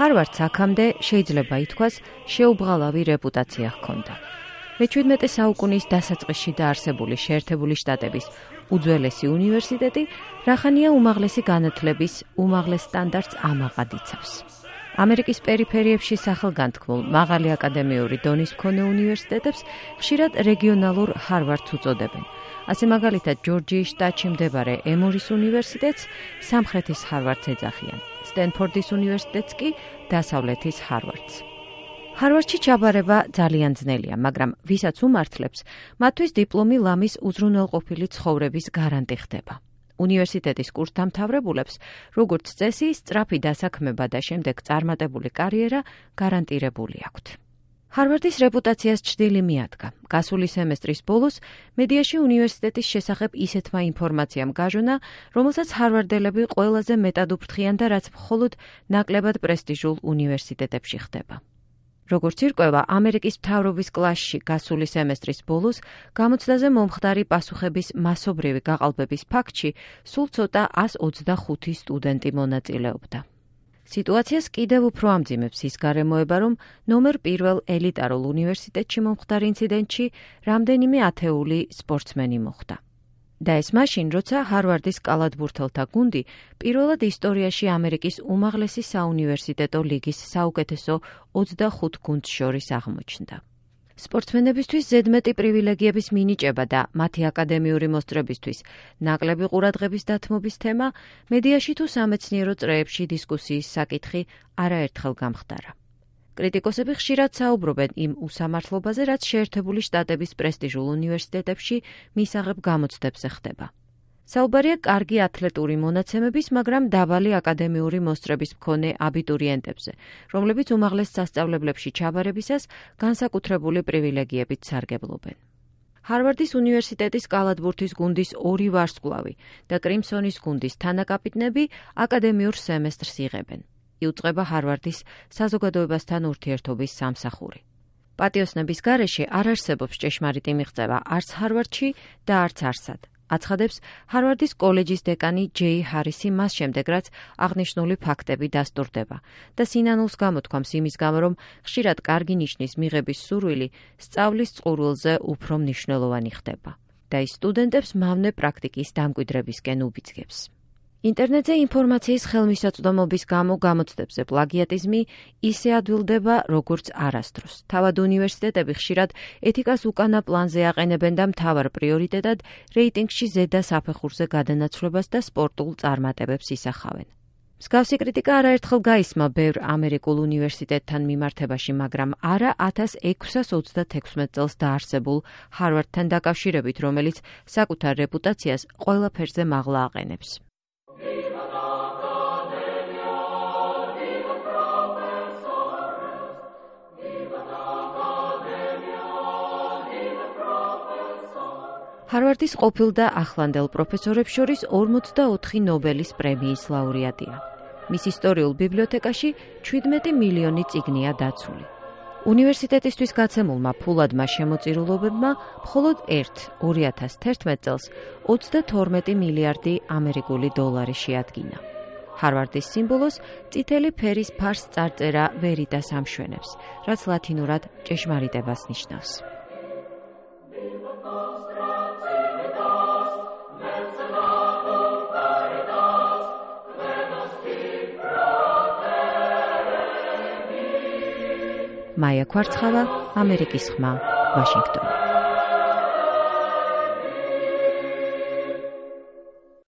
ჰარვარდს აქამდე შეიძლება ითქვას შეუბრალავი რეპუტაცია ჰქონდა. მე-17 საუკუნის დასაწყისში დაარსებული შეერთებული შტატების უძველესი უნივერსიტეტი რახანია უმაღლესი განათლების უმაღლეს სტანდარტს ამაყად იცავს. ამერიკის პერიფერიებში სახელგანთქმულ მაღალი აკადემიური დონის მქონე უნივერსიტეტებს ხშირად რეგიონალურ ჰარვარდს უწოდებენ. ასე მაგალითად ჯორჯიის შტატში მდებარე ემორის უნივერსიტეტს სამხრეთის ჰარვარდს ეძახიან. სტენფორდის უნივერსიტეტს კი დასავლეთის ჰარვარდს. ჰარვარდში ჩაბარება ძალიან ძნელია, მაგრამ ვისაც უმართლებს, მათთვის დიპლომი ლამის უზრუნველყოფილი ცხოვრების გარანტი ხდება. უნივერსიტეტის კურსდამთავრებულებს, როგორც წესი, სწრაფი დასაქმება და შემდეგ წარმატებული კარიერა გარანტირებული აქვთ. ჰარვარდის რეპუტაციას ჩრდილი მიადგა. გასული სემესტრის ბოლოს მედიაში უნივერსიტეტის შესახებ ისეთმა ინფორმაციამ გაჟონა, რომელსაც ჰარვარდელები ყველაზე მეტად უფრთხიან და რაც მხოლოდ ნაკლებად პრესტიჟულ უნივერსიტეტებში ხდება. როგორც ირკვევა, ამერიკის მთავრობის კლასში გასული სემესტრის ბოლოს გამოცდაზე მომხდარი პასუხების მასობრივი გაყალბების ფაქტში სულ ცოტა 125 სტუდენტი მონაწილეობდა. სიტუაციას კიდევ უფრო ამძიმებს ის გარემოება, რომ ნომერ პირველ ელიტარულ უნივერსიტეტში მომხდარ ინციდენტში რამდენიმე ათეული სპორტსმენი მოხვდა. და ეს მაშინ, როცა ჰარვარდის კალათბურთელთა გუნდი პირველად ისტორიაში ამერიკის უმაღლესი საუნივერსიტეტო ლიგის საუკეთესო 25 გუნდს შორის აღმოჩნდა. სპორტსმენებისთვის ზედმეტი პრივილეგიების მინიჭება და მათი აკადემიური მოსწრებისთვის ნაკლები ყურადღების დათმობის თემა მედიაში თუ სამეცნიერო წრეებში დისკუსიის საკითხი არაერთხელ გამხდარა. კრიტიკოსები ხშირად საუბრობენ იმ უსამართლობაზე, რაც შეერთებული შტატების პრესტიჟულ უნივერსიტეტებში მისაღებ გამოცდებზე ხდება. საუბარია კარგი ათლეტური მონაცემების, მაგრამ დაბალი აკადემიური მოსწრების მქონე აბიტურიენტებზე, რომლებიც უმაღლეს სასწავლებლებში ჩაბარებისას განსაკუთრებული პრივილეგიებით სარგებლობენ. ჰარვარდის უნივერსიტეტის კალათბურთის გუნდის 2 ვარსკვლავი და კრიმსონის გუნდის თანაკაპიტნები აკადემიურ სემესტრს იღებენ. იუწყება ჰარვარდის საზოგადოებასთან ურთიერთობის სამსახური. პატიოსნების გარეშე არ არსებობს ჭეშმარიტი მიღწევა არც ჰარვარდში და არც არსად. აცხადებს ჰარვარდის კოლეჯის დეკანი ჯეი ჰარისი მას შემდეგ, რაც აღნიშნული ფაქტები დასტურდება და სინანულს გამოთქვამს იმის გამო, რომ ხშირად კარგი ნიშნის მიღების სურვილი სწავლის წყურვილზე უფრო მნიშვნელოვანი ხდება და ის სტუდენტებს მავნე პრაქტიკის დამკვიდრებისკენ უბიძგებს. ინტერნეტზე ინფორმაციის ხელმისაწვდომობის გამო გამოცდებზე პლაგიატიზმი ისე ადვილდება, როგორც არასდროს. თავად უნივერსიტეტები ხშირად ეთიკას უკანა პლანზე აყენებენ და მთავარ პრიორიტეტად რეიტინგში ზედა საფეხურზე გადანაცვლებას და სპორტულ წარმატებებს ისახავენ. მსგავსი კრიტიკა არაერთხელ გაისმა ბევრ ამერიკულ უნივერსიტეტთან მიმართებაში, მაგრამ არა 1636 წელს დაარსებულ ჰარვარდთან დაკავშირებით, რომელიც საკუთარ რეპუტაციას ყველაფერზე მაღლა აყენებს. ჰარვარდის ყოფილ და ახლანდელ პროფესორებს შორის 44 ნობელის პრემიის ლაურეატია. მის ისტორიულ ბიბლიოთეკაში 17 მილიონი წიგნია დაცული. უნივერსიტეტისთვის გაცემულმა ფულადმა შემოწირულობებმა მხოლოდ 2011 წელს 32 მილიარდი ამერიკული დოლარი შეადგინა. ჰარვარდის სიმბოლოს წითელი ფერის ფარს წარწერა ვერიტას ამშვენებს, რაც ლათინურად ჭეშმარიტებას ნიშნავს. მაია ქვარცხავა, ამერიკის ხმა, ვაშინგტონი.